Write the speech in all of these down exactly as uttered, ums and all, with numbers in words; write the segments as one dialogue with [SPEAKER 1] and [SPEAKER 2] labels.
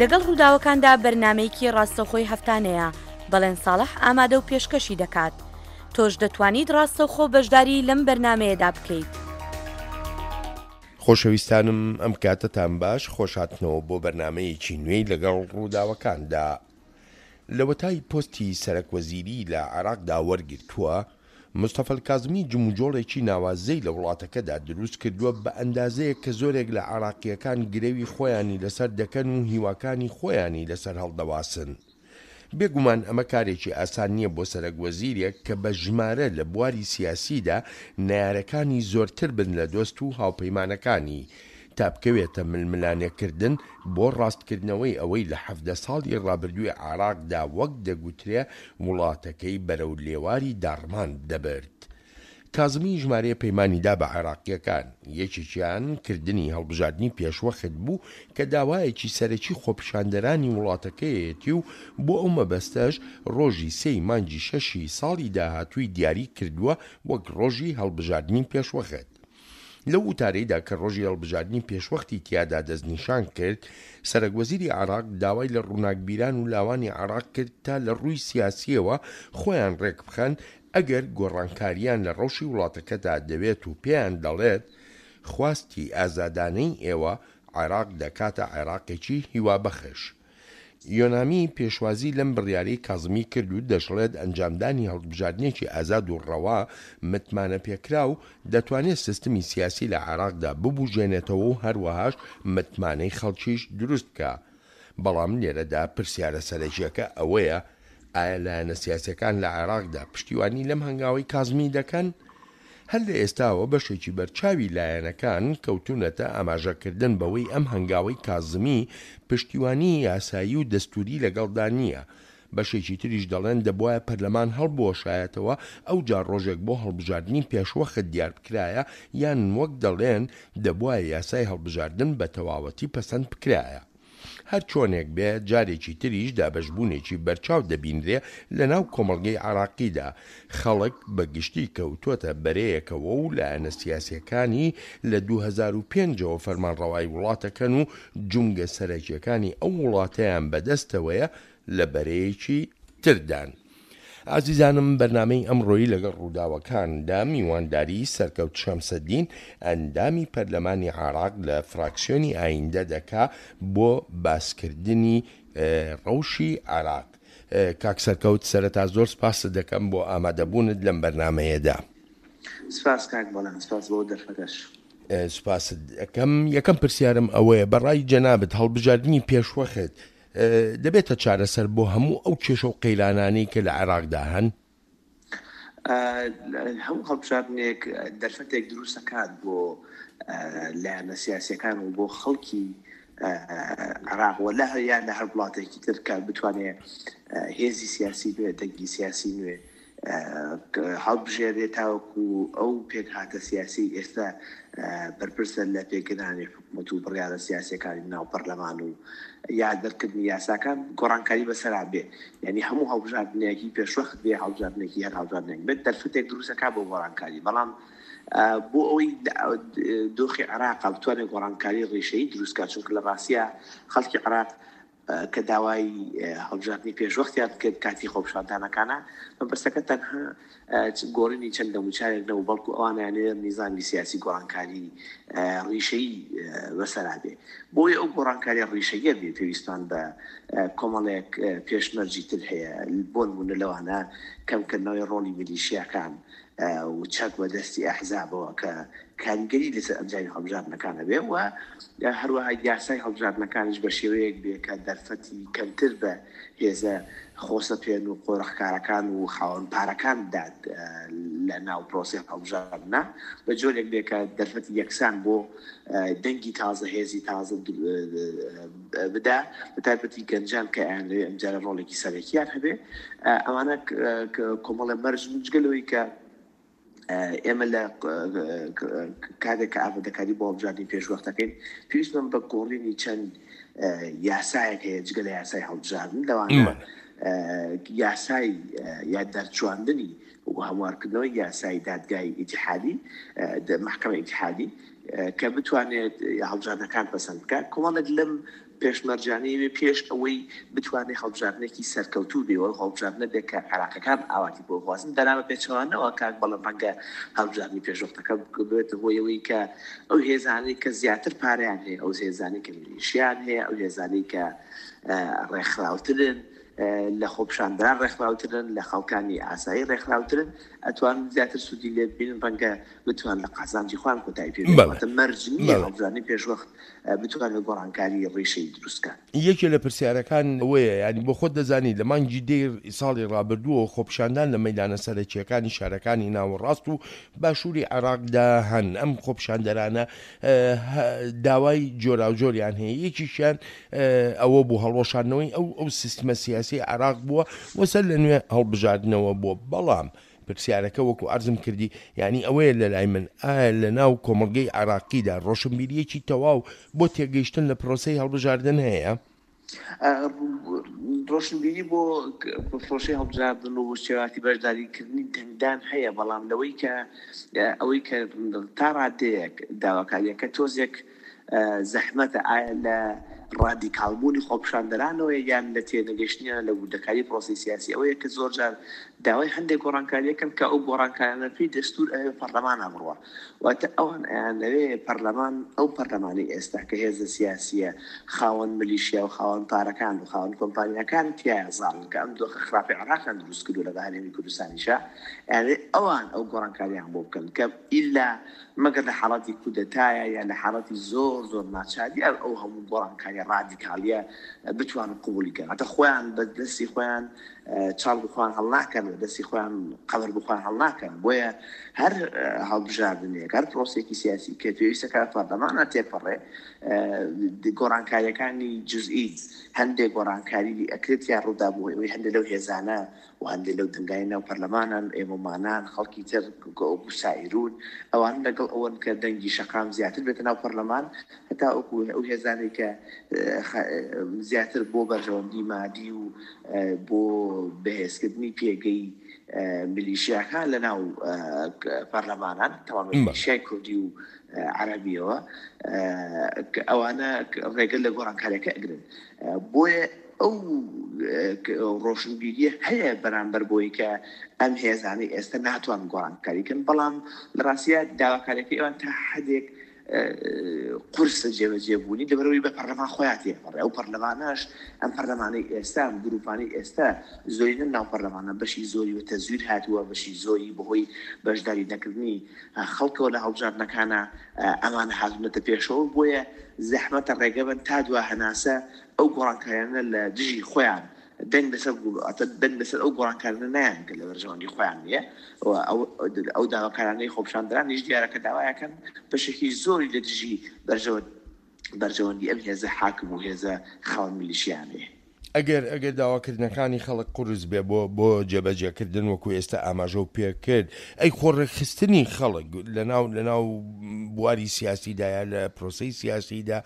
[SPEAKER 1] لەگەڵ ڕووداوەکاندا بەرنامەیەکی ڕاستەوخۆی هەفتانەیە، بەڵێن ساڵح ئامادە و پێشکەشی دەکات. تۆش دەتوانیت ڕاستەوخۆ بەشداری لەم بەرنامەیەدا بکەیت.
[SPEAKER 2] خۆشەویستانم ئەم کاتەتان باش، خۆشهاتنەوە بۆ بەرنامەیەکی نوێی لەگەڵ ڕووداوەکاندا. لەوەتای پۆستی سەرەک وەزیری لە عێراقدا وەرگرتووە، مستەفا الکازمی جموجۆڵێکی ناوازەی لە وڵاتەکەدا دروست کردووە بە ئەندازەیەک کە زۆرێک لە عێراقییەکان گرەوی خۆیانی لەسەر دەکەن و هیواکانی خۆیانی لەسەر هەڵدەواسن. بێگومان ئەمە کارێکی ئاسان نییە بۆ سەرەک وەزیرێک کە بە ژمارە لە بواری سیاسیدا نەیارەکانی زۆرتر بن لە دۆست و هاوپەیمانەکانی، تا بکەوێتە ململانێکردن بۆ ڕاستکردنەوەی ئەوەی لە حەڤدە ساڵی ڕابردووی عێراقدا وەک دەگوترێ وڵاتەکەی بەرەو لێواری داڕمان دەبرد. کازمی ژمارەیە پەیمانی دا بە عێراقییەکان، یەکێکیان کردنی هەڵبژاردنی پێشوەخت بوو کە داوایەکی سەرەکی خۆپیشاندەرانی وڵاتەکەیەتی و بۆ ئەو مەبەستەش ڕۆژی سێی مانگی شەشی ساڵی داهاتووی دیاری کردووە وەک ڕۆژی هەڵبژاردنی پێشوەخت. لەو وتارەیدا کە ڕۆژی هەڵبژاردنی پێشوەختی تیادا دەستنیشان کرد، سەرەکوەزیری عێراق داوای لە ڕووناکبیران و لاوانی عێراق کرد تا لە ڕووی سیاسییەوە خۆیان ڕێکبخەن ئەگەر گۆڕانکارییان لە ڕەوشی وڵاتەکەدا دەوێت و پێیان دەڵێت خواستی ئازادانەی ئێوە عێراق دەکاتە عێراقێکی هیوابەخش. یۆنامی پێشوازی لەم بڕیارەی کازمی کرد و دەشڵێت ئەنجامدانی هەڵبژاردنێکی ئازاد و ڕەوا متمانەپێکراو دەتوانێت سیستمی سیاسی لە عێراقدا ببوژێنێتەوە و هەروەهاش متمانەی خەڵکیش دروست بکا. بەڵام لێرەدا پرسیارە سەرەکییەکە ئەوەیە ئایا لایەنە سیاسییەکان لە عێراقدا پشتیوانی لەم هەنگاوەی کازمی دەکەن؟ هەر لە ئێستاوە بەشێکی بەرچاوی لایەنەکان کەوتوونەتە ئاماژەکردن بەوەی ئەم هەنگاوەی کازمی پشتیوانیی یاسایی و دەستووری لەگەڵدا نییە، بەشێکی تریش دەڵێن دەبوایە پەرلەمان هەڵبوەشایەتەوە ئەوجا ڕۆژێک بۆ هەڵبژاردنی پێشوەخت دیاربکرایە یان وەک دەڵێن دەبوایە یاسای هەڵبژاردن بەتەواوەتی پەسەند بکرایە. هەر چۆنێک بێ جارێکی تریش دابەشبوونێکی بەرچاو دەبینرێ لە ناو کۆمەڵگەی عێراقیدا، خەڵک بە گشتی کەوتۆتە بەرەیەکەوە و لایەنە سیاسیەکانی لە دوو هەزار و پێنج ەوە فەرمانڕەوای وڵاتەکەن و جومگە سەرەکیەکانی ئەو وڵاتەیان بەدەستەوەیە لە بەرەیەکی تردان. ئازیزانم بەرنامەی ئەمڕۆی لەگەڵ ڕووداوەکاندا میوانداری سەرکەوت شەمسەدین ئەندامی پەرلەمانی عێراق لە فراکسیۆنی ئایندە دەکا بۆ باسکردنی ڕەوشی عێراق. کاک سەرکەوت سەرەتا زۆر سپاست دەکەم بۆ ئامادەبوونت لەم بەرنامەیەدا.
[SPEAKER 3] سپاس کاک بەڵێن، سپاس بۆ دەرفەتەش.
[SPEAKER 2] سپاست دەکەم. یەکەم پرسیارم ئەوەیە بەڕای جەنابت هەڵبژاردنی پێشوەخت دەبێتە چارەسەر بۆ هەموو ئەو کێشە و قەیرانانەی کە لە عێراقدا هەن؟
[SPEAKER 3] هەموو هەڵبژاردنێک دەرفەتێک دروست دەکات بۆ لایەنە سیاسیەکان و بۆ خەڵکی عێراق و لە یان لە هەر وڵاتێکی تر کە بتوانێت هێزی سیاسی نوێ، دەنگی سیاسی نوێ هەڵبژێرێ تاوەکو ئەو پێکهاتە سیاسی ئێستا بەرپرسە لە پێکهێنانی حکومەت و بڕیارە سیاسیەکانی ناو پەرلەمان و یا دەرکردنی یاساکان گۆڕانکاری بەسەرا بێ. یعنی هەموو هەڵبژاردنێکی پێشوەخت بێ، هەڵبژاردنێکی هەر هەڵبژاردنێک بێت دەرفەتێک دروستەکە بۆ گۆڕانکاری. بەڵام بۆ ئەوەی دۆخی عێراق بتوانێت گۆڕانکاری ڕیشەیی دروستکات، چونکە لە ڕاستیە خەڵکی عێراق کە داوای هەڵبژاردنی پێشوەختیان کرد کاتی خۆپیشاندانەکانە، مەبەستەکە تەنها گۆڕینی چەند دەموچاوێک نەبوو، بەڵکو ئەوانیانەوێ نیزامی سیاسی گۆڕانکاری ڕیشەیی بەسەرا بێ. بۆیە ئەو گۆڕانکاری ڕیشەییە بێ پێویستمان بە کۆمەڵێک پێشمەرجی تر هەیە، بۆ نمونە لەوانە کەمکردنەوەی ڕۆڵی میلیشیاکان و چەک بەدەستی ئەحزابەوە کە کاریگەری لەسەر ئەنجامی هەڵبژاردنەکان هەبێ و هەروەها یاسای هەڵبژاردنەکانیش بە شێوەیەک بێ کە دەرفەتی کەمتر بە هێزە خۆسەپێن و قۆرخکارەکان و خاوەن پارەکان بدات لە ناو پرۆسەی هەڵبژاردنە، بە جۆرێک بێ کە دەرفەتی یەکسان بۆ دەنگی تازە، هێزی تازە بدا، بە تایبەتی گەنجان کە ئەیانەوێ ئەمجارە ڕۆڵێکی سەرەکیان هەبێ. ئەمانە کۆمەڵێ مەرج جگە لەوەی کە ئێمە لە کاتێک کە ئامادەکاری بۆ هەڵبژاردنی پێشوەختەکەین پێویستمان بە گۆڕینی چەند یاسایەک هەیە جگە لە یاسای هەڵبژاردن، لەوانە یاسای یا دەرچواندنی و هەموارکردنەوەی یاسای دادگای ئیتیحادی، مەحکەمە ئیتیحادی کە بتوانێت هەڵبژاردنەکان پەسەند بکات. کۆمەڵێک لەم پێشمەرجانەی پێش ئەوەی بتوانێت هەڵبژاردنێکی سەرکەوتوو بێ و هەڵبژاردنە بێت کە عێراقەکان ئاواتی بۆ خوازن. دەرامە پێچەوانەوە کاک بەڵێن ڕەنگە هەڵبژاردنی پێشوەختەکە ببێتە هۆی ئەوەی کە ئەو هێزانەی کە زیاتر پارەیان هەیە، ئەو هێزانەی کە میلیشیان هەیە، ئەو هێزانەی کە ڕێکخراوترن، لە خۆپیشاندەران ڕێکخراوترن، لە خەڵکانی ئاسایی ڕێکخراوترن، ئەتوان زیاتر سوودی لێ ببینن، ڕەنگە بتوان لە قازانجی خۆیان کۆتایی پێ بێنن. واتە مەرج نییە هەڵبژاردنی پێشوەخت بتوانێت گۆڕانکاری ڕیشەی دروست بکات.
[SPEAKER 2] یەکێ لە پرسیارەکان ئەوەیە، یانی بۆ خۆت دەزانی لە مانگی دەی ساڵی ڕابردووەوە خۆپیشاندان لە مەیدانە سەرەکییەکانی شارەکانی ناوەڕاست و باشووری عێراقدا هەن، ئەم خۆپیشاندەرانە داوای جۆراوجۆریان هەیە، یەکیشیان ئەوە بوو هەڵوەشاندنەوەی ئەو ئەو سیستمە سیاسی عێراق بووە و سەر لە نوێ هەڵبژاردنەوە بووە. بەڵام پرسیارەکە وەکو عەرزم کردی یعنی ئەوەیە لە لای من، ئایا لە ناو کۆمەڵگەی عێراقیدا ڕۆشنبیریەکی تەواو بۆ تێگەیشتن لە پرۆسەی هەڵبژاردن هەیە؟
[SPEAKER 3] ڕۆشنبیری بۆ پرۆسەی هەڵبژاردن و شێواتی بەشداریکردنی دەنگدان هەیە، بەڵام لەوەی کە ئەوەی کە تا ڕادەیەک داواکاریەکە تۆزێک زەحمەتە، ئایا لە ڕادیکاڵبوونی خۆپیشاندەرانەوەیە یان لە تێنەگەیشتنیان لە وردەکاری پرۆسەی سیاسی؟ ئەوەیە کە زۆر جار داوای هەندێک گۆڕانکاریەکەن کە ئەو گۆڕانکاریانە پێی دەستور ئەوێ پەرلەمانە بڕوە، واتە ئەوان ئەیانەوێ پەرلەمان، ئەو پەرلەمانی ئێستا کە هێزە سیاسیە خاوەن ملیشیا و خاوەن پارەکان و خاوەن کۆمپانیاکان تیایە زاڵن کە ئەم دۆخە خراپی عێراقیان دروست کردو لە هەرێمی کوردستانیشا، ئەیانەوێ ئەوان ئەو گۆڕانکاریان بۆ بکەن کە ئیلا مەگەر لە حاڵەتی کودەتایە یا لە حاڵەتی زۆر زۆر ناچاری ئەو هەموو گۆڕانکاریە ڕادیکالیە بتوانن قبوڵی کەن. هەتا خۆیان بە دەستی خۆیان چاڵ بخۆیان هەڵناکەن، بە دەستی خۆیان قەبر بخۆیان هەڵناکەن. بۆیە هەر هەڵبژاردنێک، هەر پرۆسێکی سیاسی کە پێویستە کە پەرلەمانە تێپەڕێ، گۆڕانکاریەکانی جزئی هەندێک گۆڕانکاری ئەکرێت یا ڕوودا بۆ ئەوەی هەندێک لەو هێزانە و هەندێک لەو دەنگانی ناو پەرلەمانن، ئێمەمانان، خەڵکی تر گوسائیرون، ئەوان لەگەڵ ئەوەن کە دەنگی شەقام زیاتر بێتە ناو پەرلەمان، هەتا وەکو ئەو هێزانەی کە زیاتر بۆ بەرژەوەندی مادی و بۆ بەهێزکردنی پێگەی میلیشیاکان لە ناو پەرلەمانان، تەواو میلیشیای کوردی و عەرەبیەوە، ئەوانە ڕێگە لە گۆڕانکاریەکە ئەگرن. بۆیە ئەو ڕۆشنبیریە هەیە بەرامبەر بۆی کە ئەم هێزانەی ئێستا ناتوان گۆڕانکاری کەن، بەڵام لە ڕاستیە داواکاریەکەی ئەوان تا حدێک قورسە جێبەجێبوونی لەبەرەوەی بە پەرلەمان خۆیان تێپەڕێ. ئەو پەرلەمانەش، ئەم پەرلەمانەی ئێستا، ئەم گروپانەی ئێستا زۆرینە ناو پەرلەمانە بەشی زۆری بە تەزویر هاتووە، بەشی زۆری بەهۆی بەشداری نەکردنی خەڵکەوە لە هەڵبژاردنەکانە ئەمانە هاتوونەتە پێشەوە. بۆیە زەحمەتە ڕێگە بن تا دوا هەناسە ئەو گۆڕانکاریانە لە دژی خۆیان دەنگ لەسەر دەنگ لەسەر ئەو گۆڕانکاریانە نایان کە لە بەرژەوەندی خۆیان نییە. ئەو داواکارانەی خۆپیشاندەرانیش دیارە کە داوایەکەن بەشێکی زۆری لە دژی بەرژەوەندی ئەم هێزە حاکم و هێزە خاوەن میلیشیانەیە.
[SPEAKER 2] ئەگەر ئەگەر داواکردنەکانی خەڵک قورس بێ بۆ بۆ جێبەجێکردن وەکو ئێستا ئاماژە و پێکرد، ئەی خۆڕێکخستنی خەڵک لەناو لەناو بواری سیاسیدایە لە پرۆسەی سیاسیدا،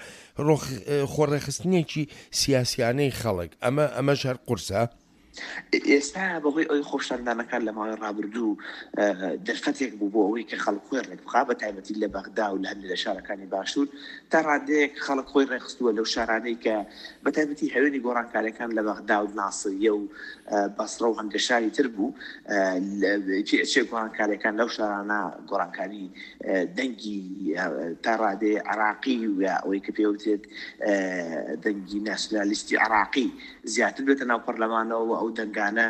[SPEAKER 2] خۆڕێکخستنێکی سیاسیانەی خەڵک، ئەمە ئەمەش هەر قورسە؟
[SPEAKER 3] ئێستا بەهۆی ئەوەی خۆپیشاندانەکان لە ماوەی ڕابردوو دەرفەتێک بوو بۆ ئەوەی کە خەڵک خۆی ڕێک بخا، بە تایبەتی لە بەغدا و لە هەندێک لە شارەکانی باشوور تا ڕادەیەک خەڵک خۆی ڕێکخستووە لەو شارانەی کە بە تایبەتی هەوێنی گۆڕانکاریەکان لە بەغدا و ناسریە و بەسرە و هەندێک شاری تر بوو. چێ گۆڕانکاریەکان لەو شارانە گۆڕانکاری دەنگی تا ڕادەیە عراقی و یا ئەوەی کە پێوترێت دەنگی ناسیۆنالیستی عراقی زیاتر بێتە ناو پەرلەمانەوە، ئەو دەنگانە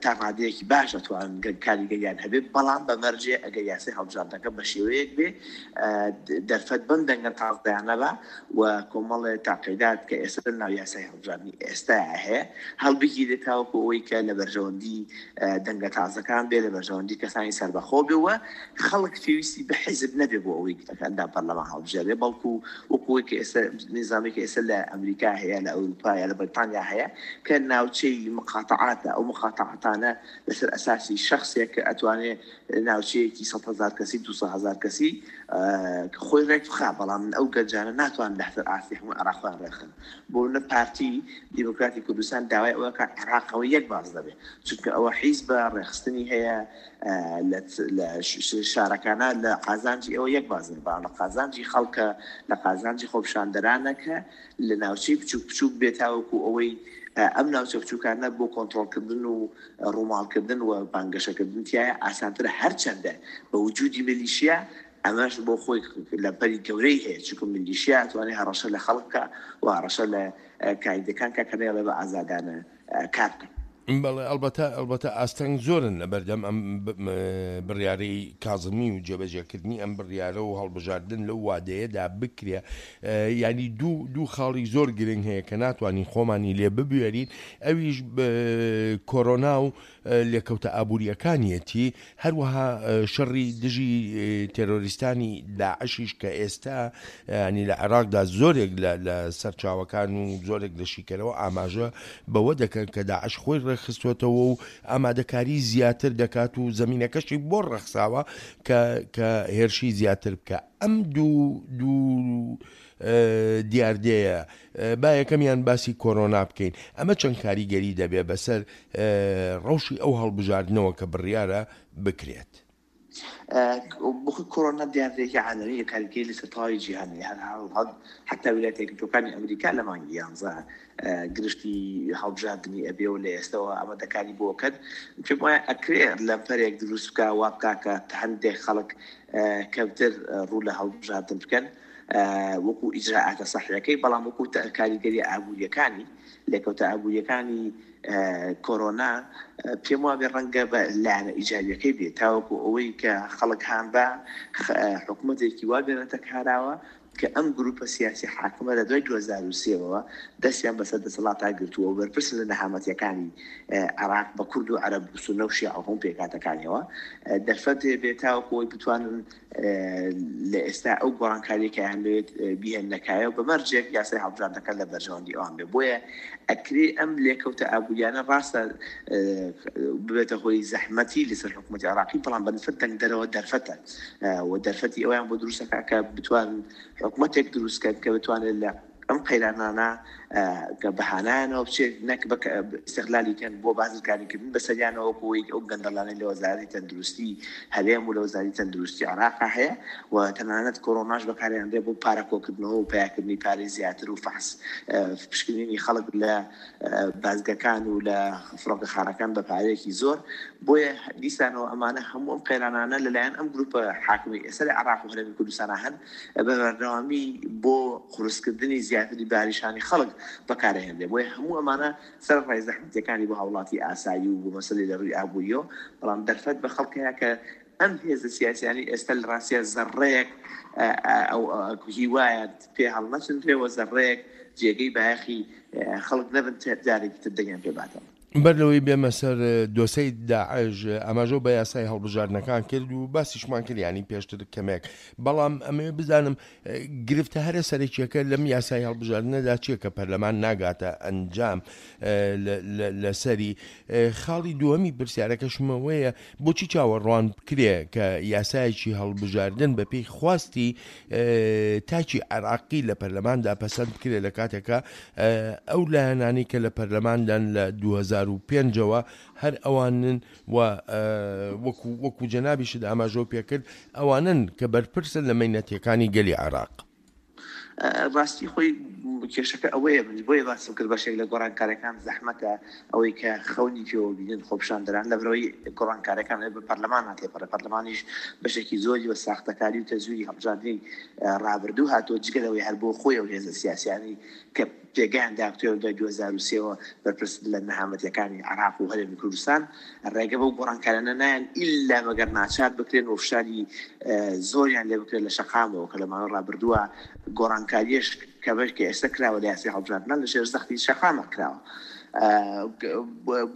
[SPEAKER 3] تا ڕادەیەکی باش ئەتوانن کاریگەریان هەبێت، بەڵام بە مەرجێ ئەگەر یاسای هەڵبژاردنەکە بە شێوەیەک بێ دەرفەت بەم دەنگە تازەیانە بە و کۆمەڵێ تاقیدات کە ئێستا ناو یاسای هەڵبژاردنی ئێستا هەیە هەڵبگیرێت تاوەکو ئەوەی کە لە بەرژەوەندی دەنگە تازەکان بێ، لە بەرژەوەندی کەسانی سەربەخۆ بێ و خەڵک پێویستی بە حیزب نەبێ بۆ ئەوەی ئەندام پەرلەمان هەڵبژێرێ، بەڵکو وەکو ئەوەی کە ئێستا نظامێک ئێستا لە ئەمریکا هەیە، لە ئەوروپا یا لە بەریتانیا هەیە کە ناوچەی مقاطعاتە، ئەو مقاتعاتانە لەسەر ئەساسی شخصێک کە ئەتوانێ ناوچەیەکی سەد هەزار کەسی دوو هەزار کەسی خۆی ڕێک بخا، بەڵام ئەو گەنجانە ناتوان لەسەر ئاستی هەموو عێراق خۆیان ڕێکخن. بۆ نە پارتی دیموکراتی کوردستان داوای ئەوە کە عێراقەوە یەک باز دەبێت، چونکە ئەوە حیزبە ڕێخستنی هەیە لە شارەکانە لە قازانجی ئەوە یەک باز دەبێت، بەڵام لە قازانجی خەڵکە، لە قازانجی خۆپیشاندەرانە کە لە ناوچەی بچوک بچوک بێت تاوەکو ئەوەی ئەم ناوچە بچووکانە بۆ کۆنترۆڵکردن و ڕووماڵکردن و بانگەشەکردن تایە ئاسانترە. هەرچەندە بە وجودی میلیشیا ئەمەش بۆ خۆی لەمپەری گەورەی هەیە، چونکە میلیشیا ئەتوانێت هەڕەشە لە خەڵک بکە و هەڕەشە لە کاریدەکان کە کە نەیەڵێ بە ئازادانە کار بکەن.
[SPEAKER 2] بەڵێ ئەلبەتە ئەلبەتە ئاستەنگ زۆرن لەبەردەم ئەم بڕیارەی کازمی و جێبەجێکردنی ئەم بڕیارە و هەڵبژاردن لەو وادەیەدا بکرێ. ینی دوو دوو خاڵی زۆر گرنگ هەیە کە ناتوانین خۆمانی لێ ببوێرین، ئەویش کۆرۆنا و لێکەوتە ئابووریەکانیەتی، هەروەها شەڕی دژی تێرۆریستانی داعشیش کە ئێستا ینی لە عێراقدا زۆرێک لە سەرچاوەکان و زۆرێک لە شیکەرەوە ئاماژە بەوە دەکەن کە داعش خۆی ڕێکخستوێتەوە و ئامادەکاری زیاتر دەکات و زمینەکەشی بۆ ڕەخساوە کە کە هێرشی زیاتر بکە. ئەم دوو دوو دیاردەیە با یەکەمیان باسی کۆرۆنا بکەین، ئەمە چەند کاریگەری دەبێ بەسەر ڕەوشی ئەو هەڵبژاردنەوە کە بڕیارە بکرێت؟
[SPEAKER 3] بخۆی کۆرۆنا دیاردەیەکی عالەمیە، کاریگەری لەسەر تەواوی جیهانی، حتا ویلایەتە یەکگرتووەکانی ئەمریکا لە مانگی یانزە گرشتی هەڵبژاردنی ئەبێ و لە ئێستەوە ئامادەکاری بۆ کرد. پێم وایە ئەکرێ لەمپەرێک دروست بکە وا بکا کە هەندێک خەڵک کەمتر ڕوو لە هەڵبژاردن بکەن وەکو ئیجراعاتە سەحیەکەی، بەڵام وەکو کاریگەری ئابووریەکانی لێکەوتە ئابووریەکانی کۆرۆنا پێم وابێ ڕەنگە بە لایەنە ئیجابیەکەی بێت، تاوەکو ئەوەی کە خەڵک هان بە حکوومەتێکی وا بێنێتە کاراوە کە ئەم گروپە سیاسی حاکمە لە دوای دوو هەزار و سێوە دەستیان بەسەر دەسەڵاتا گرتووە و بەرپرسن لە نەهامەتیەکانی عێراق بە کورد و عەرەب و سوننە و شیعە و هەموو پێکهاتەکانیەوە دەرفەت بێت تاوەکو ئەوەی بتوانن لە ئێستا ئەو گۆڕانکاریەکەیان لەوێت بیهێننەکایە و بە مەرجێک یاسای هەڵبژاردنەکە لە بەرژەوەندی ئەوان بێ. بۆیە ئەکرێ ئەم لێکەوتە ئابووریانە ڕاستە ببێتە هۆی زەحمەتی لەسەر حکوومەتی عێراقی، بەڵام بە نسبەت دەنگدەرەوە دەرفەتە و دەرفەتی ئەویان بۆ دروستەکە کە بتوانن حکوومەتێک دروستکەن کە بتوانێت لە ئەم قەیرانانە کە بەهانایانەوە بچێت، نەک بە ئیستغلالی کەن بۆ بازرگانیکردن بەسەریانەوە، وەکو ئەوەی ئەو گەندەڵانەی لە وەزارەتی تەندروستی هەرێم و لە وەزارەتی تەندروستی عێراقا هەیە و تەنانەت کۆرۆناش بەکاریان دێ بۆ پارە کۆکردنەوە و پیاکردنی پارەی زیاتر و فەحس پشکنینی خەڵک لە بازگەکان و لە فڕۆکەخانەکان بە پارەیەکی زۆر. بۆیە دیسانەوە ئەمانە هەموو ئەم قەیرانانە لەلایەن ئەم گروپە حاکمی ئێستا لە عێراق و هەرێمی کوردستانە هەن بە بەردەوامی بۆ قورسکردنی زیاتری باریشانی خەڵک بەکارهێنرێ. بۆیە هەموو ئەمانە سەرەڕای زەحمەتیەکانی بۆ هاوڵاتی ئاسایی و بۆ مەسەلەی لە ڕووی ئابووریەوە، بەڵام دەرفەت بە خەڵک هەیە کە ئەم هێزە سیاسیانی ئێستا لە ڕاستیە زەڕەیەک هیوایە پێ هەڵنەچنرێ و زەڕەیەک جێگەی بایەخی خەڵک نەبن جارێکی تر دەنگیان پێ باتەوە.
[SPEAKER 2] بەر لەوەی بێمە سەر دۆسەی داعش ئاماژە بە یاسای هەڵبژاردنەکان کرد و باسیشمان کرد ینی پێشتر کەمێک، بەڵام ئەمەوێ بزانم گرفتە هەرە سەرەکیەکە لەم یاسای هەڵبژاردنەدا چییە کە پەرلەمان ناگاتە ئەنجام لەسەری. خاڵی دووەمی پرسیارەکەشمەوەیە بۆچی چاوەڕوان بکرێ کە یاسایەکی هەڵبژاردن بە پێی خواستی تاکی عێراقی لە پەرلەماندا پەسەند بکرێ لە کاتێکە ئەو لایەنانی کە لە پەرلەماندان لە دوو هەزار و پێنجەوە هەر ئەوانن و وەکو وەکو جەنابیشت ئاماژەو پێکرد ئەوانن کە بەرپرسن لە مەینەتیەکانی گەلی عێراق.
[SPEAKER 3] ڕاستی خۆی کێشەکە ئەوەیە، من بۆیە باسم کرد بەشێک لە گۆڕانکاریەکان زەحمەتە، ئەوەی کە خەونی پێوە بینن خۆپیشاندەران لەبەرەوەی گۆڕانکاریەکان بە پەرلەمان هاتێپەڕێ، پەرلەمانیش بەشێکی زۆری بە ساختەکاری و تەزویری هەڵبژاردنی ڕابردوو هاتووە، جگە لەوەی هەر بۆ خۆی ئەو هێزە سیاسیانی کە پێگەیان داکتوێ دوای دوو هەزار و سێوە بەرپرس لە نەهامەتیەکانی عێراق و هەرێمی کوردستان ڕێگە بەو گۆڕانکاریانە نایەن ئیلا مەگەر ناچار بکرێن و فشاری زۆریان لێ بکرێن لە شەقامەوە کە لە ماوەی ڕابردووە گۆڕانکاریەش کە بەش کە ئێستا کراوە لە یاسای هەڵبژاردنان لە ژێر زەختی شەقامە کراوە.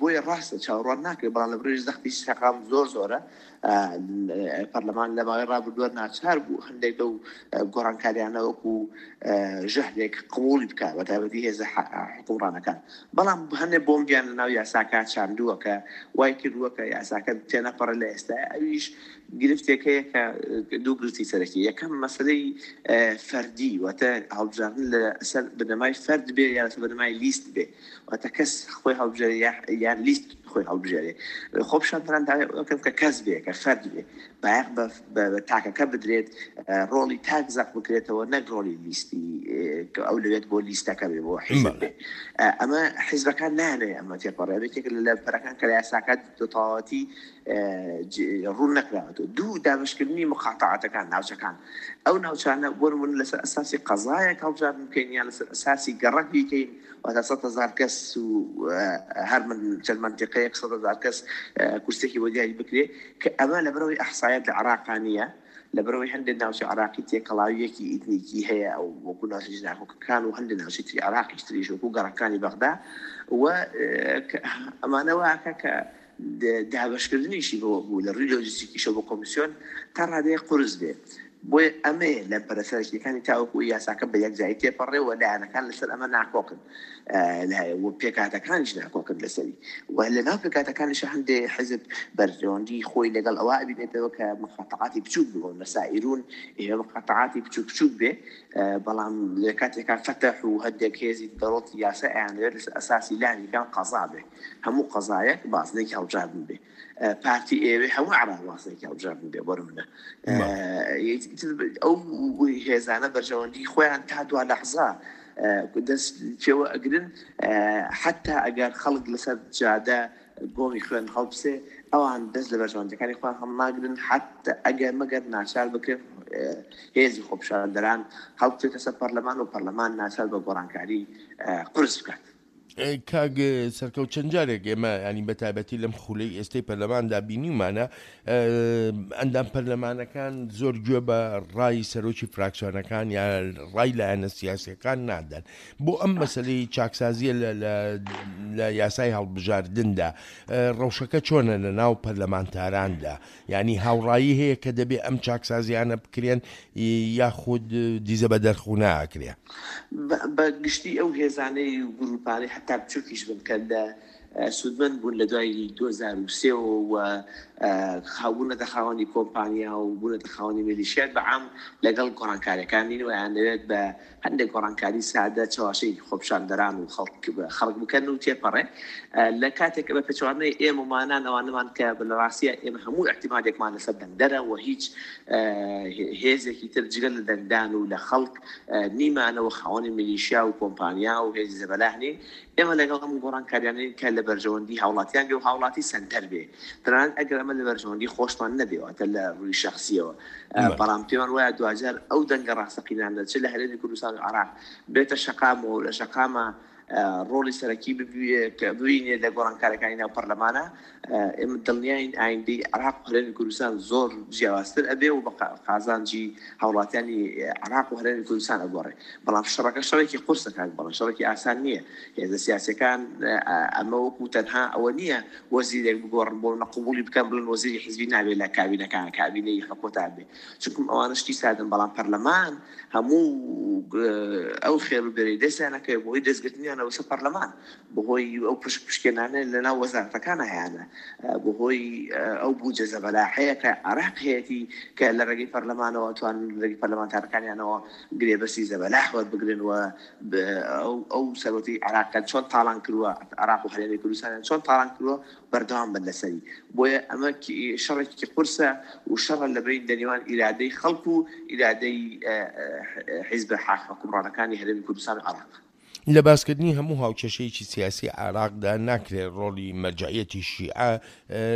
[SPEAKER 3] بۆیە ڕاستە چاوەڕوان ناکرێت، بەڵام لە بڕی زەختی شەقام زۆر زۆرە. پەرلەمان لە ماوەی ڕابردووە ناچار بوو هەندێک لەو گۆڕانکاریانە وەکو ژەهرێک قبوڵی بکات، بە تایبەتی هێزە حکومڕانەکان. بەڵام هەندێک بۆمبیان لەناو یاساکە چاندووە کە وای کردووە کە یاساکە تێنەپەڕێ لە ئێستا. ئەویش گرفتێک هەیە کە دوو گرفتی سەرەکی. یەکەم مەسلەی فەردی، واتە هەڵبژاردن لەسەر بنەمای فەرد بێ یا لەسەر بنەمای لیست بێ، واتە کەس خۆی هەڵبژێرێ یان لیست خۆی هەڵبژێرێ. خۆپیشاندەران داوای ئەوە کە کەس بێ، کە فەرد بێ، بایەخ بە تاکەکە بدرێت، ڕۆڵی تاک زەق بکرێتەوە نەک ڕۆڵی لیستی کە ئەو لەوێت بۆ لیستەکە بێ، بۆ حیزب بێ. ئەمە حیزبەکان نانەوێت ئەمە تێپەڕێ. یەکێک لە پەرەکان کە لە یاساکە تەواوەتی ڕوون نەکراوەتەوە. دوو، دابەشکردنی مقاطعاتەکان، ناوچەکان. ئەو ناوچانە بۆ نمونە لەسەر ئەساسی قەزایەک هەڵبژاردن بکەین یان لەسەر ئەساسی گەڕەک بیکەین، واتە سەد هەزار کەس و هەر چەند منتیقەیەک سەد هەزار کەس کورسێکی بۆ دیاری بکرێ، کە ئەمە لەبەرەوەی ئەحسایەت لە عێراقا نییە، لەبەرەوەی هەندێک ناوچە عێراقی تێکەڵاویەکی ئیتنیکی هەیە، ئەو وەکو ناوچەی ناکۆکەکان و هەندێک ناوچەی تری عێراقیش تریش وەکو گەڕەکانی بەغدا و ئەمانە واکە کە دابەشکردنیشی بۆ بوو لە ڕووی لۆجستیکیشەوە بۆ کۆمیسیۆن تا ڕادەیە قورس بێ. بۆیە ئەمەیە لە پەرەسەرەکیەکانی تاوەکو یاساکە بە یەکجاری تێپەڕێ و لایەنەکان لەسەر ئەمە ناکۆکن و پێکهاتەکانیش ناکۆکن لەسەری. و لەناو پێکهاتەکانیش هەندێک حیزب بەرژەوەندی خۆی لەگەڵ ئەوە ئەبینێتەوە کە مقاطعاتی بچووک بوون، نەسائیرون ئێمە مقاطعاتی بچووک بچووک بێ، بەڵام لە کاتێکا فەتح و هەندێک هێزی دەوڵەتی یاسا ئەیانەوێت لەسەر ئەساسی لانیکان قەزا بێ، هەموو قەزایەک بازنێکی هەڵبژاردن بێ. پارتی ئێوێ هەموو عێراق بازنێکی هەڵبژاردن بێ. بۆ نمونە ئەو هێزانە بەرژەوەندی خۆیان تا دوا لەحزە دەست پێوە ئەگرن، حتا ئەگەر خەڵک لەسەر جادە گۆمی خوێن هەڵبسێ ئەوان دەست لە بەرژەوەندەکانی خۆیان هەڵناگرن، حتا ئەگەر مەگەر ناچار بکرێن هێزی خۆپیشاندەران هەڵبچێتە سەر پەرلەمان و پەرلەمان ناچار بە گۆڕانکاری قورس بکات.
[SPEAKER 2] کاک سەرکەوت، چەند جارێک ئێمە ینی بە تایبەتی لەم خولەی ئێستەی پەرلەماندا بینیمانە ئەندام پەرلەمانەکان زۆر گوێ بە ڕای سەرۆکی فراکسیۆنەکان یا ڕای لایەنە سیاسیەکان نادەن. بۆ ئەم مەسلەی چاکسازیە لە یاسای هەڵبژاردندا ڕەوشەکە چۆنە لە ناو پەرلەمانتاراندا؟ یعنی هاوڕایی هەیە کە دەبێ ئەم چاکسازیانە بکرێن یاخود دیزە بە دەرخونا ئەکرێ؟
[SPEAKER 3] بە گشتی ئەو هێزانەی و گروپانەی حتا بچووکیش بن کە لە سوودمەند بوون لە دوای دوو هەزار و سێ و بوونەتە خاوەنی کۆمپانیا و بوونەتە خاوەنی میلیشیات، بە عام لەگەڵ گۆڕانکاریەکان نین و ئەیانەوێت بە هەندێک گۆڕانکاری سادە چەواشەی خۆپیشاندەران و خەڵک بکەن و تێپەڕێ. لە کاتێک بە پێچەوانەی ئێمەمانان ئەوانەمان کە لە ڕاستیە ئێمە هەموو احتیمالێکمان لەسەر دەنگدەرە و هیچ هێزێکی تر جگەل لە دەنگدان و لە خەڵک نیمانەوە خاوەنی میلیشیا و کۆمپانیا و هێزی زەبەلاح نین. ئێمە لەگەڵ ئەم گۆڕانکاریانەین کە لە بەرژەوەندی هاوڵاتیان بێ و هاوڵاتی سەنتەر بێ، تەنانەت ئەگەر ئەمە لە بەرژەوەندی خۆشمان نەبێ، واتە لە ڕووی شەخسیەوە، بەڵام پێمان وایە دواجار ئەو دەنگە ڕاستەقینانە چ لە هەرێمی کوردستان و عێراق بێتە شەقامەوە و لە شەقامە ڕۆڵی سەرەکی ببینێت لە گۆڕانکارەکانی ناو پەرلەمانە، ئێمە دڵنیاین ئایندەی عێراق و هەرێمی کوردستان زۆر جیاوازتر ئەبێ و بە قازانجی هاوڵاتیانی عێراق و هەرێمی کوردستان ئەگۆڕێ. بەڵام شەڕەکە شەڕێکی قورسە کاک بەڵێن، شەڕێکی ئاسان نییە. هێزە سیاسیەکان ئەمە وەکو تەنها ئەوە نییە وەزیرێک بگۆڕن بۆ نەقبوڵی بکەن بڵێن وەزیری حیزبی نابێت لە کابینەکان، کابینەی حکومەتان بێ، چونکم ئەوانە شتی سادەن. بەڵام پەرلەمان هەموو ئەو خێر و بێرەی دەستیانەکەوێت بۆی دەستگرتنیانەوە سەر پەرلەمان، بەهۆی ئەو پشک پشکێنانە لەناو وەزارەتەکان هەیانە، بەهۆی ئەو بودجە زەبەلاحەیە کە عێراق هەیەتی کە لە ڕێگەی پەرلەمانەوە توان لە ڕێگەی پەرلەمانتارەکانیانەوە گرێبەستی زەبەلاح وەربگرن و ئەو سەرۆتی عێراقیان چۆن تاڵان کردووە، عێراق و هەرێمی کوردستانیان چۆن تاڵان کردووە بەردەوام بن لەسەری. بۆیە ئەمە شەڕێکی قورسە و شەڕە لە بین لە نێوان ئیرادەی خەڵک و ئیرادەی حیزب حکومڕانەکانی هەرێمی کوردستان و عێراق.
[SPEAKER 2] لە باسکردنی هەموو هاوکێشەیەکی سیاسی عێراقدا ناکرێت ڕۆڵی مەرجعیەتی شیعە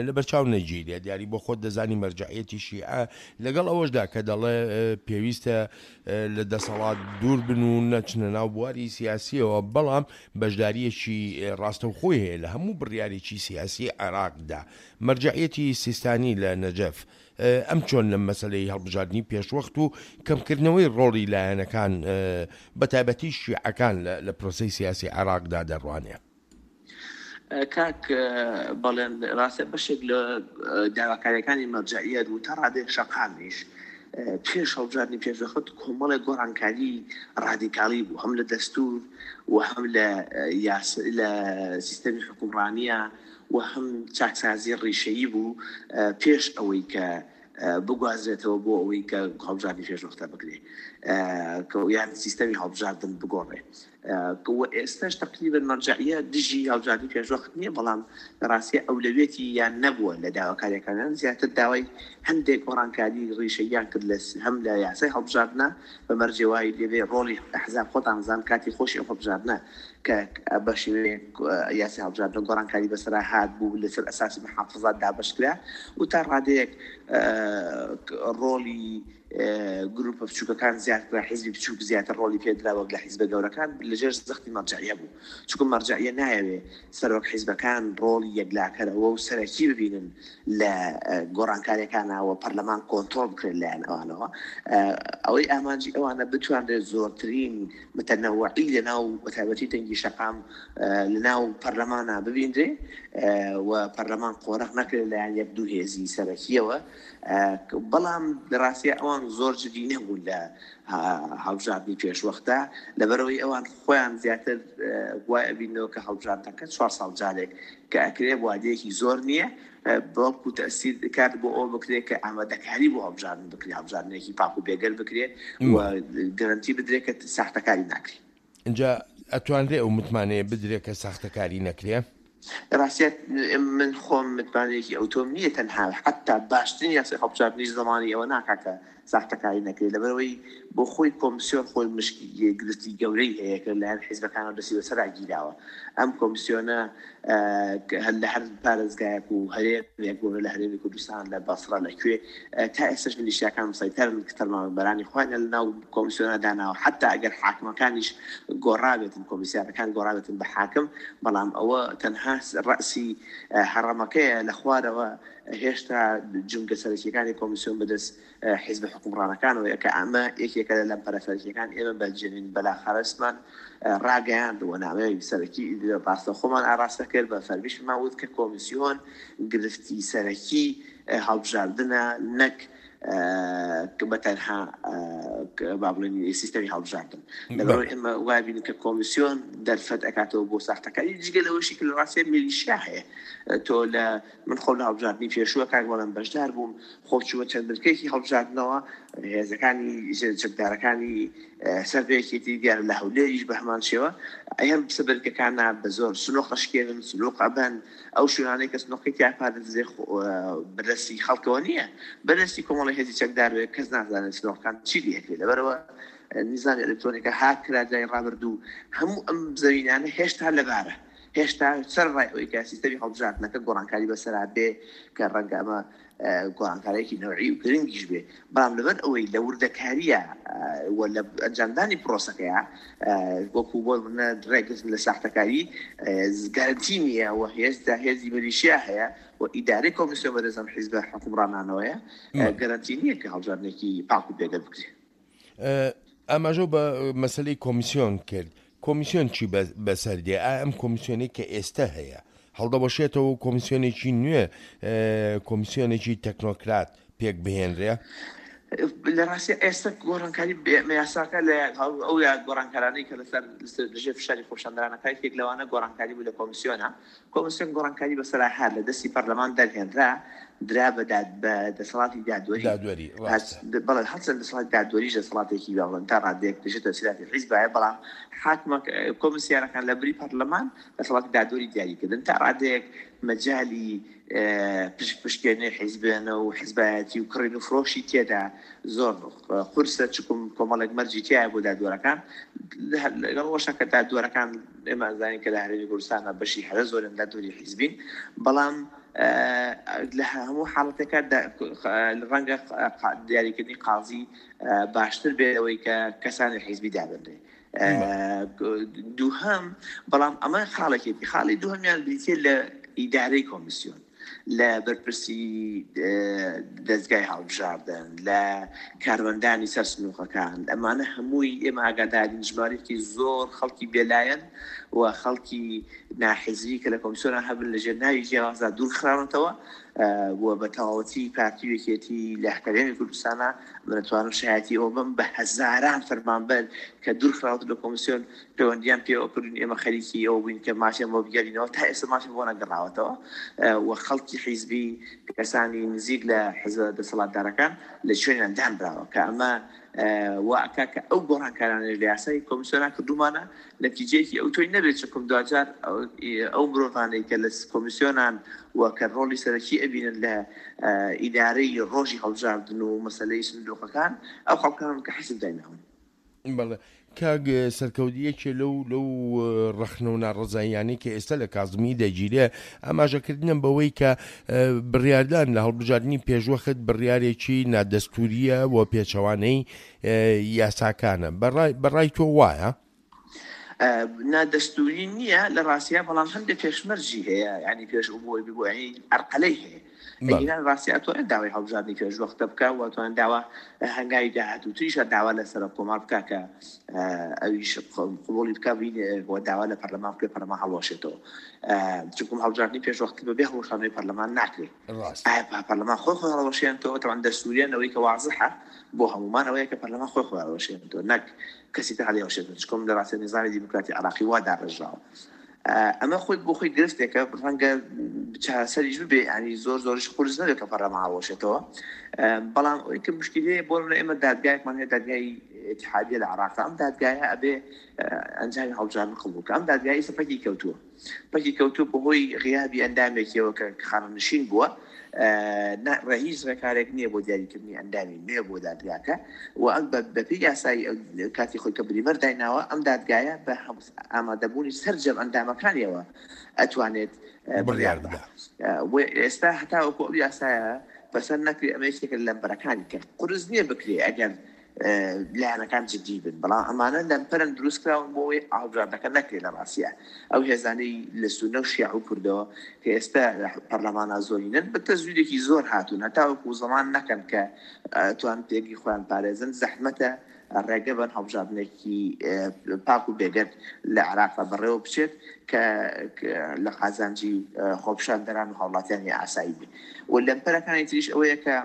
[SPEAKER 2] لەبەرچاو نەگیرێت. دیاری بۆ خۆت دەزانی مەرجعیەتی شیعە لەگەڵ ئەوەشدا کە دەڵێ پێویستە لە دەسەڵات دوور بن و نەچنە ناو بواری سیاسیەوە، بەڵام بەشداریەکی ڕاستەوخۆی هەیە لە هەموو بڕیارێکی سیاسی عێراقدا. مەرجعیەتی سیستانی لە نەجەف ئەم چۆن لەم مەسلەی هەڵبژاردنی پێشوەخت و کەمکردنەوەی ڕۆڵی لایەنەکان بە تایبەتی شیعەکان لە پرۆسەی سیاسی عێراقدا دەڕوانێ؟
[SPEAKER 3] کاک بەڵێن، ڕاستە بەشێک لە داواکاریەکانی مەرجعیەت و تا ڕادەیەک شەقامیش پێش هەڵبژاردنی پێشوەخت کۆمەڵێک گۆڕانکاری ڕادیکالی بوو، هەم لە دەستور و هەم لە لە سیستەمی حکومڕانیە و هەم چاکسازی ڕیشەیی بوو پێش ئەوەی کە بگوازرێتەوە بۆ ئەوەی کە هەڵبژاردنی پێشوەختە بکرێ یان سیستەمی هەڵبژاردن بگۆڕێ. و ئێستاش تقریبا مەرجعیە دژی هەڵبژاردنی پێشوەخت نییە، بەڵام لە ڕاستیە ئەولەویەتی یان نەبووە لە داواکاریەکانیان، زیاتر داوای هەندێک گۆڕانکاری ڕیشەییان کرد هەم لە یاسای هەڵبژاردنە بە مەرجێ وای لێبێ ڕۆڵی ئەحزاب خۆتان زان کاتی خۆشی ئەو هەڵبژاردنە کە بە شێوەیەک یاسای هەڵبژاردن گۆڕانکاری بەسەرا هات بوو لەسەر ئەساسی محافظات دابەش کرا و تا ڕادەیەک ڕۆڵی گروپە بچووکەکان زیاد کرا، حیزبی بچووک زیاتر ڕۆڵی پێدرا وەک لە حیزبە گەورەکان لەژێر زەختی مەرجعیە بوو، چونکە مەرجعیە نایەوێ سەرۆک حیزبەکان ڕۆڵی یەکلاکەرەوە و سەرەکی ببینن لە گۆڕانکاریەکانەوە پەرلەمان کۆنترۆڵ بکرێت لایەن ئەوانەوە. ئەوەی ئامانجی ئەوانە بتوانرێت زۆرترین متەنەوعی لەناو بەتایبەتی دەنگی شەقام لەناو پەرلەمانە ببینرێ و پەرلەمان قۆرخ نەکرێت لایەن یەک دوو هێزی سەرەکیەوە. بەڵام لە ڕاستیە ئەوان زۆر جدی نەبوون لە هەڵبژاردنی پێشوەختە، لەبەرەوەی ئەوان خۆیان زیاتر وای ئەبینەوە کە هەڵبژاردنەکە چوار ساڵ جارێک کە ئەکرێ وادەیەکی زۆر نییە، بەڵکو تەسیر کات بۆ ئەوە بکرێت کە ئامادەکاری بۆ هەڵبژاردن بکرێت، هەڵبژاردنێکی پاک و بێگەر بکرێت و گەرەنتی بدرێت کە ساختەکاری ناکرێت.
[SPEAKER 2] اینجا ئەتوانرێ ئەو متمانەیە بدرێت کە ساختەکاری نەکرێ؟
[SPEAKER 3] ڕاستیت من خۆم متمانەیەکی ئەوتۆم نییە، تەنها حتا باشترین یاسای هەڵبژاردنیش زەمانی ئەوە ناکات کە ساختەکاری نەکرێت، لەبەرەوەی بۆ خۆی کۆمسیۆن خۆی مشکی گرفتی گەورەی هەیە کە لەلایەن حیزبەکانەوە دەستی بەسەرا گیراوە. ئەم کۆمسیۆنە لە هەر پارێزگایەک و هەرێمێک بۆ لە هەرێمی کوردستان لە بەسرە لەکوێ تا ئێستاش میلیشیاکان مسەیتەرن کە فەرمانبەرانی خۆیان لەناو کۆمسیۆنە داناوە، حتا ئەگەر حاکمەکانیش گۆڕابێتن، کۆمیسیارەکان گۆڕابێتن بە حاکم، بەڵام ئەوە تەنها ڕەسی هەڕەمەکەیە لە خوارەوە هێشتا جومگە سەرەکیەکانی کۆمیسیۆن بەدەست حیزب حکومڕانەکانەوە کە ئەمە یەکێکە لە لەمپەرە سەرەکیەکان. ئێمە بە جێنین بەلاخەرسمان ڕاگەیاند و نامەیەکی سەرەکی ڕاستەخۆمان ئاراستە کرد، بە فەرمیشمان وت کە کۆمیسیۆن گرفتی سەرەکی هەڵبژاردنە نەک بە تەنها با بڵێین سیستەمی هەڵبژاردن. لەبەرەوەی ئێمە وای بینین کە کۆمیسیۆن دەرفەت ئەکاتەوە بۆ ساختەکاری، جگە لەوەشی کە لە ڕاستیە میلیشیا هەیە. تۆ لە من خۆم لە هەڵبژاردنی پێشووە کاک بەڵێن بەشدار بووم، خۆ چوومە چەند بنکەیەکی هەڵبژاردنەوە، هێزەکانی چەکدارەکانی سەر بە یەکێتی دیارە لە هەولێریش بە هەمان شێوە ئەم سەبرکەکانە بە زۆر سنوق ئەشکێنن، سنوق ئەبەن، ئەو شوێنانەی کە سنوقی تیا پارێزرێ بەدەستی خەڵکەوە نییە، بەدەستی کۆمەڵی هێزی چەکدار بێ، کەس نازانێت سنوقەکان چی لێکرێت. لەبەرەوە نیزامی ئەلکترۆنیکە هاک کرا جای ڕابردوو، هەموو ئەم زەوینانە هێشتا لەبارە، هێشتا سەر ڕای ئەوەی کە سیستەمی هەڵبژاردنەکە گۆڕانکاری بەسەرا بێ کە ڕەنگە ئەمە گۆڕانکاریەکی نەوعی و گرنگیش بێ، بەڵام لەبەر ئەوەی لە وردەکاریە و لە ئەنجامدانی پرۆسەکەیە وەکو بۆ نمونە ڕێگرتن لە ساختەکاری گەرەنتی نییە و هێزدا هێزی میلیشیا هەیە و ئیدارەی کۆمیسیۆن بەدەست ئەم حیزبە حکومڕانانەوەیە، گەرەنتی نییە کە هەڵبژاردنێکی پاک و بێگەر بکرێت.
[SPEAKER 2] ئاماژە بە مەسلەی کۆمیسیۆن کرد، کۆمیسیۆن چی بەسەر دێ؟ ئایا ئەم کۆمیسیۆنێک کە ئێستا هەیە هەڵدەوەشێتەوە و کۆمیسیۆنێکی نوێ، کۆمیسیۆنێکی تەکنۆکرات پێک بهێنرێ؟
[SPEAKER 3] لە ڕاستی ئێستا گۆڕانکاری یاساکە لە ئەو گۆڕانکارانەی کە لەسەر لەژێر فشاری خۆپیشاندەرانەکە یەکێک لەوانە گۆڕانکاری بوو لە کۆمیسیۆنە. کۆمیسیۆن گۆڕانکاری بەسەرا هات لە دەستی پەرلەمان دەرهێنرا، درا بە دەسەڵاتی دادوەری.
[SPEAKER 2] دادوەری، ڕاستە.
[SPEAKER 3] بەڵێ، هەرچەند دەسەڵاتی دادوەریش دەسەڵاتێکی باڵن تا ڕادەیەک دەشێتە تەسیراتی حیزبایە، بەڵام حاکمە کۆمیسیارەکان لە بری پەرلەمان دەسەڵاتی دادوەری دیاریکردن تا ڕادەیەک مەجالی پشک پشکێنەی حیزبێنە و حیزبایەتی و کڕین و فرۆشی تێدا زۆر قورسە، چکم کۆمەڵێک مەرجی تایە بۆ دادوەرەکان. لەگەڵ ئەوەشا کە دادوەرەکان ئێمە ئەزانین کە لە هەرێمی کوردستانە بەشی هەرە زۆرن دادوەری حیزبین، بەڵام لە هەموو حاڵەتێکا ڕەنگە دیاریکردنی قازی باشتر بێت ئەوەی کە کەسانی حیزبی دابنرێ. دووهەم، بەڵام ئەمە خاڵێکێتی. خاڵی دووهەمیان بریتیە لە ئیدارەی کۆمیسیۆن. لە بەرپرسی دەستگای هەڵبژاردن، لە کارمەندانی سەر سنووقەکان، ئەمانە هەمووی ئێمە ئاگادارین ژمارەیەکی زۆر خەڵکی بێلایەن و خەڵکی ناحیزبی کە لە کۆمیسیۆنە هەبن لەژێر ناوی جیاوازدا دوور خراونەتەوە و بە تەواوەتی پارتی و یەکێتی لە هەرێمی کوردستانە من ئەتوانم شایەتی ئەوە بم بە هەزاران فەرمانبەر کە دوور خراوەتە لە کۆمیسیۆن پەیوەندیان پێوە کردوین، ئێمە خەریکی ئەوە بووین کە مافیان بۆ بگەرینەوە، تا ئێستا مافیان بۆ نەگەڕاوەتەوە و خەڵکی حیزبی کەسانی نزیک لە حزبە دەسەڵاتدارەکان لە شوێنیان دانراوە کە ئەمە وا ئەکا کە ئەو گۆڕانکارانەش لە یاسای کۆمیسیۆنا کردومانە نەتیجەیەکی ئەو تۆی نەبێت، چونکم دواجار ئەو مرۆڤانەی کە لە کۆمیسیۆنان و کە ڕۆڵی سەرەکی ئەبینن لە ئیدارەی ڕۆژی هەڵبژاردن و مەسلەی سندوقەکان ئەو خەڵکانن کە حیزب دایناون.
[SPEAKER 2] بەڵێ کاک سەرکەوت، یەکێ لەو لەو ڕەخنە و ناڕەزاییانەی کە ئێستا لە کازمی دەگیرێ ئاماژەکردنم بەوەی کە بڕیاردان لە هەڵبژاردنی پێشوەخت بڕیارێکی نادەستوریە و پێچەوانەی یاساکانە، بەڕای تۆ وایە؟
[SPEAKER 3] نادەستوری نییە لە ڕاستیە، بەڵام هەندێک پێشمەرجی هەیە، ینی پێش بۆی بۆ ینی ئەرقەلەی هەیە. ئەگیران ڕاستی ئەتوانێت داوای هەڵبژاردنی پێشوەختە بکە و ئەتوانێت داوا هەنگاوی داهاتووتریشە داوا لە سەرۆک کۆمار بکە کە ئەویش قبوڵی بکە و داوا لە پەرلەمان بکە پەرلەمان هەڵوەشێتەوە، چونکم هەڵبژاردنی پێشوەخت بەبێ هەڵوەشانەوەی پەرلەمان ناکرێت. پەرلەمان خۆی خۆی هەڵوەشێنێتەوە، تەوان دەستوریان ئەوەی کە وازحە بۆ هەمومان ئەوەیە کە پەرلەمان خۆی خۆی هەڵوەشێنێتەوە نەک کەسی تر هەڵیوەشێنێتەوە، چونکم لە ڕاستی نظامی دیموکراتی عێراقی وا داڕێژراوە. ئەمە خۆی بۆ خۆی گرفتێکە، ڕەنگە چارەسەریش ببێ، ینی زۆر زۆریش قورس نەبێت کە پەرلەمان هەڵوەشێتەوە. بەڵام ئەوەی کە مشکلەیە بۆ نمونە ئێمە دادگایەکمان هەیە، دادگای اتحادیە لە عێراق، ئەم دادگایە ئەبێ ئەنجامی هەڵبژاردن قبوڵ بکە. ئەم دادگای ئێستا پەکی کەوتووە، پەکی کەوتووە بەهۆی غیابی ئەندامێکیەوە کە خانەنشین بووە، هیچ ڕێکارێک نییە بۆ دیاریکردنی ئەندامی نوێ بۆ دادگاکە و ئەم بەپێی یاسایی کاتی خۆی کە بریمەر دایناوە ئەم دادگایە بە ئامادەبوونی سەرجەم ئەندامەکانیەوە ئەتوانێت
[SPEAKER 2] بڕیار بدا.
[SPEAKER 3] ئێستا هەتاوەکو ئەو یاسایە پەسەند نەکرێ ئەمە یەکێکە لە لەمپەرەکانی کە قورس نییە بکرێ ئەگەر لایەنەکان جدی بن، بەڵام ئەمانە لەمپەرن دروست کراون بۆ ئەوەی هەڵبژاردنەکە نەکرێت لە ڕاستیە. ئەو هێزانەی لە سوننە و شیعە و کوردەوە کە ئێستا پەرلەمانە زۆرینن بە تەزویرێکی زۆر هاتوون، هەتاوەکو زەمان نەکەن کە توان پێگی خۆیان پارێزن، زەحمەتە ڕێگە بن هەڵبژاردنێکی پاک و بێگەرد لە عێراقا بەڕێوە بچێت کە لە قازانجی خۆپیشاندەران و هاوڵاتیانی ئاسایی بێت. و لەمپەرەکانی تریش ئەوەیە کە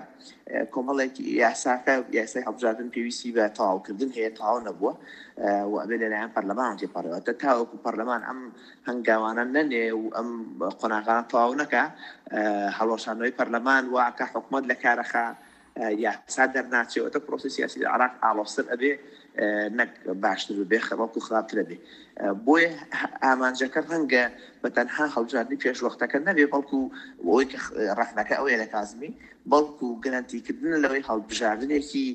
[SPEAKER 3] کۆمەڵێک یاساکە یاسای هەڵبژاردن پێویستی بە تەواوکردن هەیە، تەواو نەبووە و ئەبێ لەلایەن پەرلەمان تێپەڕێوە. تاوەکو پەرلەمان ئەم هەنگاوانە نەنێ و ئەم قۆناغانە تەواو نەکا، هەڵوەشانەوەی پەرلەمان واکە حکوومەت لە کارەخا یاسا دەرناچێەوە، تا پرۆسی سیاسی لە عێراق ئاڵۆزتر ئەبێ نەک باشتر ببێ، بەڵکو خراپتر ئەبێ. بۆیە ئامانجەکە ڕەنگە بە تەنها هەڵبژاردنی پێشوەختەکە نەبێ، بەڵکو ئەوەی کە ڕەخنەکە ئەوەیە لە کازمی، بەڵکو گەرەنتیکردن لەوەی هەڵبژاردنێکی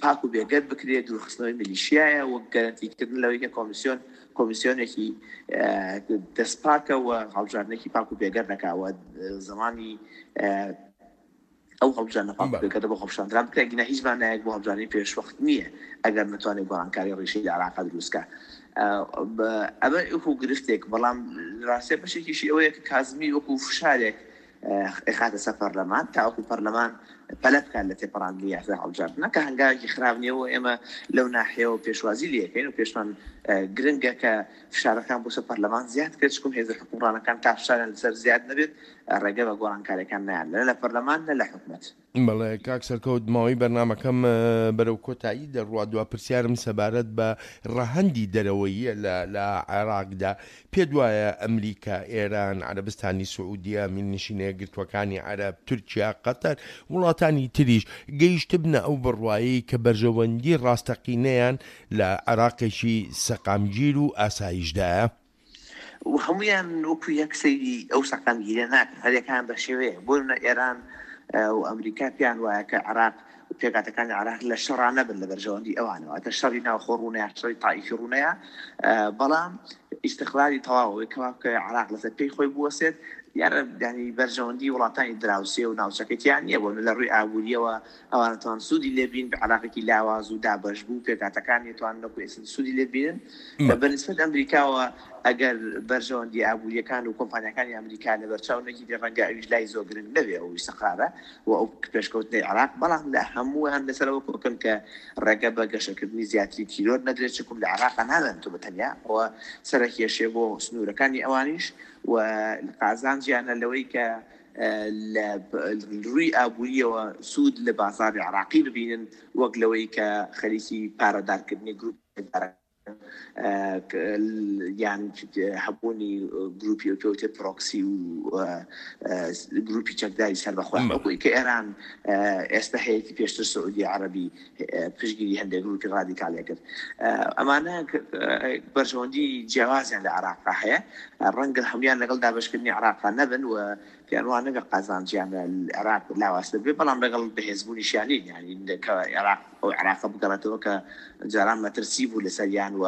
[SPEAKER 3] پاک و بێگەرد بکرێت، دوورخستنەوەی میلیشیایە و گەرەنتیکردن لەوەی کە کۆمیسیۆن کۆمیسیۆنێکی دەستپاکە و هەڵبژاردنێکی پاک و بێگەرد دەکاوە زمانی ئەو هەڵبژاردنە پاک و بێگەردە بۆ خۆپیشاندەران بکرێت. ئەگینا هیچ مانایەک بۆ هەڵبژاردنی پێشوەخت نییە ئەگەر نەتوانێت گۆڕانکاری ڕیشەی لە عێراقا دروست بکە. ئەمە وەکو گرفتێک، بەڵام ڕاستیە بەشێکیشی ئەوەیە کە کازمی وەکو فشارێک ئەخاتە سەر پەرلەمان تاوەکو پەرلەمان پەلە بکات لە تێپەڕاندنی یاسای هەڵبژاردنە، کە هەنگاوێکی خراپ نییە و ئێمە لەو ناحیەوە پێشوازی لێەکەین و پێشمان گرنگە کە فشارەکان بۆ سەر پەرلەمان زیاد کرد، چونکم هێزە حکومڕانەکان تا فشاریان لەسەر زیاد نەبێت ڕێگە بە گۆڕانکاریەکان نایان لە پەرلەمان نە لە حکومەت.
[SPEAKER 2] بەڵێ کاک سەرکەوت، ماوەی بەرنامەکەم بەرەو کۆتایی دەڕوا. دوا پرسیارم سەبارەت بە ڕەهەندی دەرەوەیە لە عێراقدا، پێ دوایە ئەمریکا، ئێران، عەرەبستانی سعودیە، میرنشینە یەکگرتووەکانی عەرەب، تورکیا، قەتەر، وڵاتانی تریش گەیشتبنە ئەو بڕوایەی کە بەرژەوەندی ڕاستەقینەیان لە عێراقێکی سەقامگیر و ئاسایشدایە؟
[SPEAKER 3] و هەمویان وەکو یەک سەیری ئەو سەقامگیرە ناکەن، هەریەکان بە شێوەیە. بۆ نمونە ئێران و ئەمریکا پێیان وایە کە عێراق پێکاتەکانی عێراق لە شەڕا نەبن لە بەرژەوەندی ئەوانەوە، ئەتە شەڕی ناوخۆ ڕوونەیە، شەڕی تائیفی ڕوونەیە، بەڵام ئیستقلالی تەواو کەوا بکە عێراق لەسەر پێی خۆی بوەسێت، دیارە ینی بەرژەوەندی وڵاتانی دراوسێ و ناوچەکەتیان نییە. بۆ لە ڕووی ئابووریەوە ئەوانە توان سوودی لێبین بە عێراقێکی لاواز و دابەش بوو، پێکاتەکانی توان نەکو ئێستا سوودی لێبینن. بەنسبەت ئەمریکاوە ئەگەر بەرژەوەندی ئابووریەکان و کۆمپانیاکانی ئەمریکا لەبەرچاو نەگیرێ ڕەنگە ئەویش لای زۆر گرنگ نەبێ ئەو ئیستقرارە و ئەو پێشکەوتنەی عێراق، بەڵام لە هەموویان لەسەرەوە کۆکن کە ڕێگە بە گەشەکردنی زیاتری تیرۆر نەدرێت، چونکم لە عێراقا نامێنێتەوە بە تەنیا، ئەوە سەرەکێشێ بۆ سنوورەکانی ئەوانیش و قازانجیانە لەوەی کە لە ڕووی ئابووریەوە سوود لە بازاڕی عێراقی ببینن وەک لەوەی کە خەریکی پارەدارکردنی گروپ یان هەبوونی گروپی و پێوتێ پرۆکسی و گروپی چەکداری سەر بەخۆیان وەکوی کە ئێران ئێستا هەیەی پێشتر سعودی عەرەبی پشتگیری هەندێک گروپی ڕادیکاڵی کرد. ئەمانە بەرژەوەندی جیاوازیان لە عێراقا هەیە، ڕەنگە هەمویان لەگەڵ دابەشکردنی عێراقا نەبن و پێیان وا نەبێ قازانجیان لە عێراق لاوازتر بێ، بەڵام لەگەڵ بەهێزبوونیشیان نین، یانی کە عێراق ئەو عێراقە بگەڕێتەوە کە جاران مەترسی بوو لەسەریان و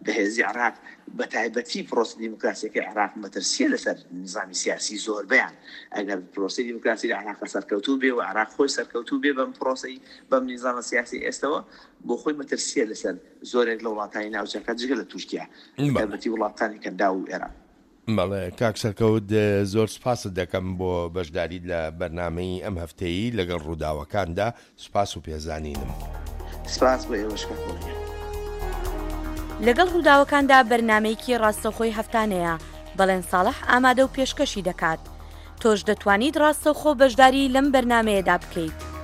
[SPEAKER 3] بەهێزی عێراق بە تایبەتی پرۆسە دیموکراسیەکەی عێراق مەترسیە لەسەر نظامی سیاسی زۆربەیان. ئەگەر پرۆسەی دیموکراسی لە عێراق سەرکەوتوو بێ و عێراق خۆی سەرکەوتوو بێ بەم پرۆسەی بەم نیزامە سیاسی ئێستەوە بۆ خۆی مەترسیە لەسەر زۆرێک لە وڵاتانی ناوچەکە جگە لە تورکیا، تایبەتی وڵاتانی کەنداو و ئێران.
[SPEAKER 2] بەڵێ کاک سەرکەوت زۆر سوپاست دەکەم بۆ بەشداریت لە بەرنامەی ئەم هەفتەیی لەگەڵ ڕووداوەکاندا، سوپاس و پێزانینم.
[SPEAKER 3] سپاس بۆ ئێوەش کاک مۆنیر.
[SPEAKER 1] لەگەڵ ڕووداوەکاندا بەرنامەیەکی ڕاستەوخۆی هەفتانەیە، بەڵێن ساڵح ئامادە و پێشکەشی دەکات. تۆش دەتوانیت ڕاستەوخۆ بەشداری لەم بەرنامەیەدا بکەیت.